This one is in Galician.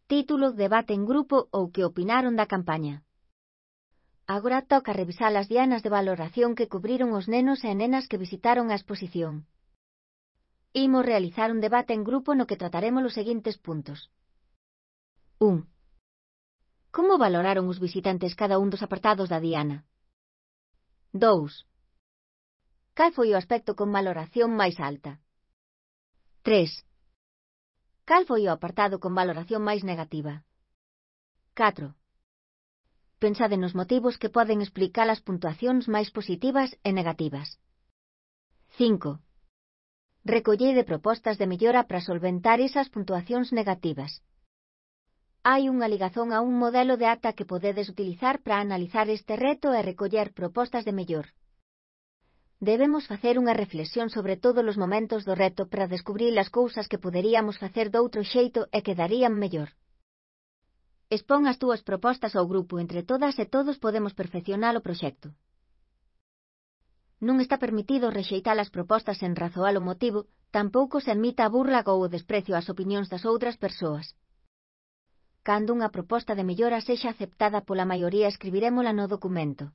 título, debate en grupo ou que opinaron da campaña. Agora toca revisar as dianas de valoración que cubriron os nenos e nenas que visitaron a exposición. Imos realizar un debate en grupo no que trataremos os seguintes puntos. 1. Como valoraron os visitantes cada un dos apartados da diana? 2. Cal foi o aspecto con valoración máis alta? 3. Cal foi o apartado con valoración máis negativa? 4. Pensade nos motivos que poden explicar as puntuacións máis positivas e negativas. 5. Recollede propostas de mellora para solventar esas puntuacións negativas. Hai unha ligazón a un modelo de ata que podedes utilizar para analizar este reto e recoller propostas de mellor. Debemos facer unha reflexión sobre todos os momentos do reto para descubrir as cousas que poderíamos facer doutro xeito e que darían mellor. Expón as túas propostas ao grupo, entre todas e todos podemos perfeccionar o proxecto. Non está permitido rexeitar as propostas sen razoar o motivo, tampouco se admita a burla ou o desprecio ás opinións das outras persoas. Cando unha proposta de mellora sexa aceptada pola maioría, escribirémola no documento.